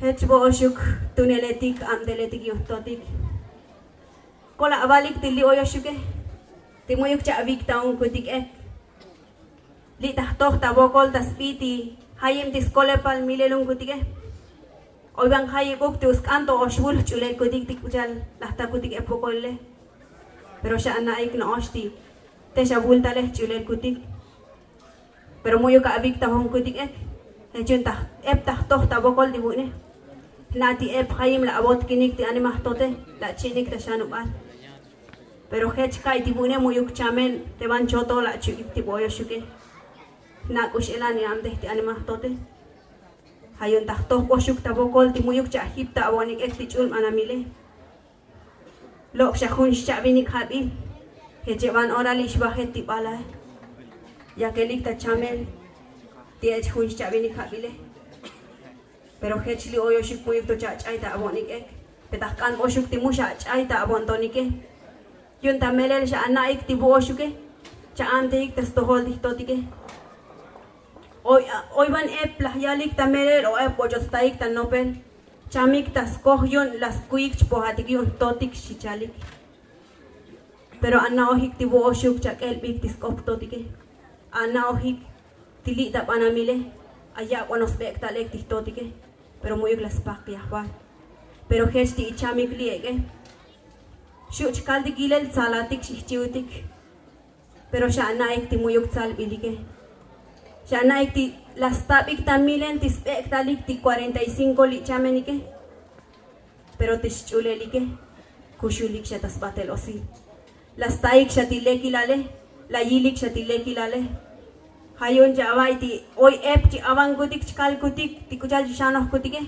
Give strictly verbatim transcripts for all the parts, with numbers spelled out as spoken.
Jech bo'oxuk tuneletik abteletik yu'un jtotik. Kol avalik ti li' oyoxuke ti mu'yuk cha'avik ta jun kutik ek li' ta jtoj ta vokol ta sbi ti jayib ti skolepal milel jun kutike. Oy van jayibuk ti usk'an to oxvul jch'ulel kutik ti k'u cha'al laj ta kutik ep vokolile. Pero xa ana'ik no'ox ti te xa vultale jch'ulel kutik. Pero mu'yuk avik ta jun kutik ek jech yu'un ta ep ta jtoj ta vokol ti vu'une. Jna' ti ep jayib la avotkinik ti anima jtote, la chi'nik ta xanubal. Pero jech ka'i ti vu'une mu'yuk chamen te van choto la achu'ik ti bo'oyoxuke. Jna' k'u x'elan i abtej ti anima jtote. Ja' yu'un ta jtoj boxuk ta vokol ti mu'yuk cha'ajip ta avo'onik ek ti ch'ul banamile. Lok' xa jun xcha'vinik jabil. Jech evan ora li' xvajet ti balae. Yakelik ta chamel ti ech jun xcha'vinik jabile. Pero jech li' oyoxuk mu'yuk to cha'ach'ay ta avo'onik ek. Pe ta jk'an boxuk ti mu xa'ach'ay ta avo'ontonike. Yu'un ta melel xa ana'ik ti vu'oxuke. Cha'anteik ta stojol ti jtotike. Oy van ep laj yalik ta melel o ep boch'ot staik ta nopel. Chamik ta skoj yu'un la skuik chpojatik yu'un jtotik xi chalik. Pero ana'ojik ti vu'oxuk chak'elbik ti sk'op jtotike. Ana'ojik ti li' ta banamile. Ayak'onoj sbek'tal ek ti jtotike. Pero mu'yuk la spak yajval. Pero jech ti ichamik li' ek'e. Xu' chkaltik yilel tsalatik xijchiutik. Pero xa ana'ik ti mu'yuk tsalbilike. Xa ana'ik ti la stabik ta milel ti sbek'talik ti kuarenta y cinko li' chamenike. Pero ti xch'ulelike kuxulik xa ta sbatel osil. La staik xa ti lekilale. La yilik xa ti lekilale. Ja' yu'un chi ava'i ti oy ep chi avankutik chkalkutik ti k'u cha'al chi xanojkutike.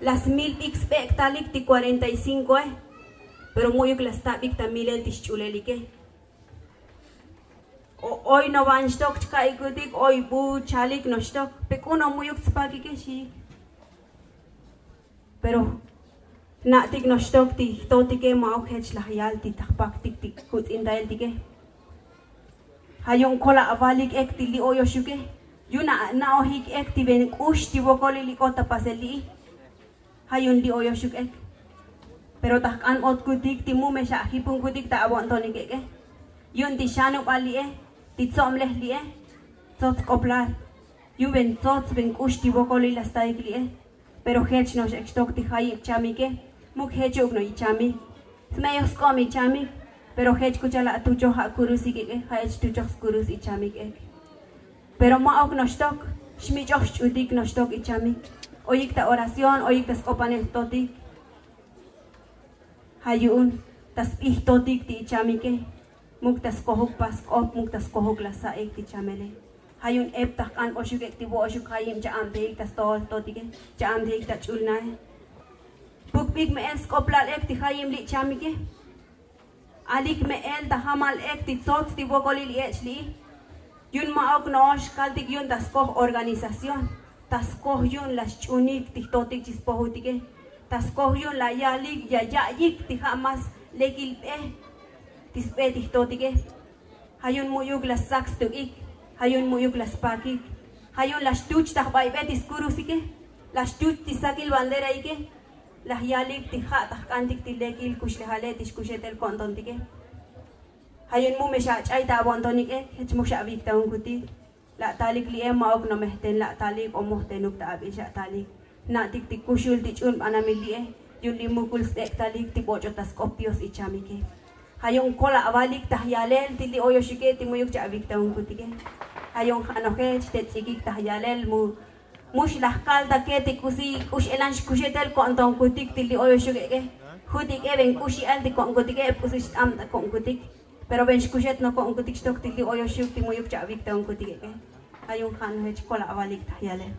La smilbik sbek'talik ti kuarenta y cinkoe. Pero mu'yuk la stabik ta milel ti xch'ulelike. Oy novan xtok chka'ikutik oy bu chalik noxtok. Pe k'u no mu'yuk tspakike xiik. Pero jna'tik noxtok ti jtotike ma'uk jech laj yal ti ta jpaktik ti kuts'intaeltike. Ja' yu'un kol avalik ek ti li' oyoxuke. Yu'un ana'ojik ek ti ven k'ux ti vokolil ik'ot ta pasel li'i. Ja' yu'un li' oyoxuk ek. Pero ta jk'an botkutik ti mu me xa'ajip jun kutik ta avo'ontonik ek'e. Yu'un ti xanubal li'e ti tsoblej li'e. Tsots sk'oplal. Yu'un ven tsots ven k'ux ti vokolil la staik li'e. Pero jech no'ox ek xtok ti jayib chamike. Muk jechuk no ichamik. Sme'yoj sk'ob ichamik. Pero jech k'u cha'al la atuchoj ja' kurusik ek'e ja' ech tuchoj skurus ichamik ek. Pero ma'uk noxtok. Xmich'oj xch'utik noxtok ichamik. Oyik ta oración oyik ta sk'opanel jtotik. Ja' yu'un ta sbi jtotik ti ichamike. Muk ta skojuk pas sk'op muk ta skojuk la sa'ik ti chamele. Ja' yu'un ep ta jk'an boxuk ek ti vo'oxuk jayib cha'abtejik ta stojol jtotike. Cha'abtejik ta ch'ul nae. Pukbik me'el sk'oplal ek ti jayib li' chamike. Alik me'el ta jamal ek ti tsots ti vokolil ech li'i. Yu'un ma'uk no'ox kaltik yu'un ta skoj organización. Ta skoj yu'un la xch'unik ti jtotik chi spojutike. Ta skoj yu'un la yalik ya ya'yik ti ja' mas lekil be ti sbe ti jtotike. Ja' yu'un mu'yuk la stsak stuk'ik. Ja' yu'un mu'yuk la spakik. Ja' yu'un la xtuch ta jbaybel ti skurusike. La xtuch ti sakil banderaike. Laj yalik ti ja' ta jk'antik ti lekil kuxlejale ti xkuxetel ko'ntontike. Ja' yu'un mu me xa'ach'ay ta avo'ontonik ek jech muk xa'avik ta jun kutik. La atalik li'e ma'uk nomejten la atalik o mojtenuk ta abil xa'atalik. Jna'tik ti kuxul ti ch'ul banamil li'e. Yu'un li' mukul sbek'talik ti boch'ot ta sk'op dios ichamike. Ja' yu'un kol avalik ta jyalel ti li' oyoxuke ti mu'yuk cha'avik ta jun kutike. Ja' yu'un ja' nojech te ts'ikik ta jyalel mu. Mux laj kaltake ti k'usi k'u x'elan xkuxetel ko'ntonkutik ti li' oyoxuk ek'e. Jutik'e ven k'u x'yal ti ko'nkutike ep k'usi xt'ab ta ko'nkutik. Pero ven xkuxet noko'nkutik xtok ti li' oyoxuk ti mu'yuk cha'avik ta jun kutik ek'e. Ja' yu'un ja' nojech kol avalik ta jyalel.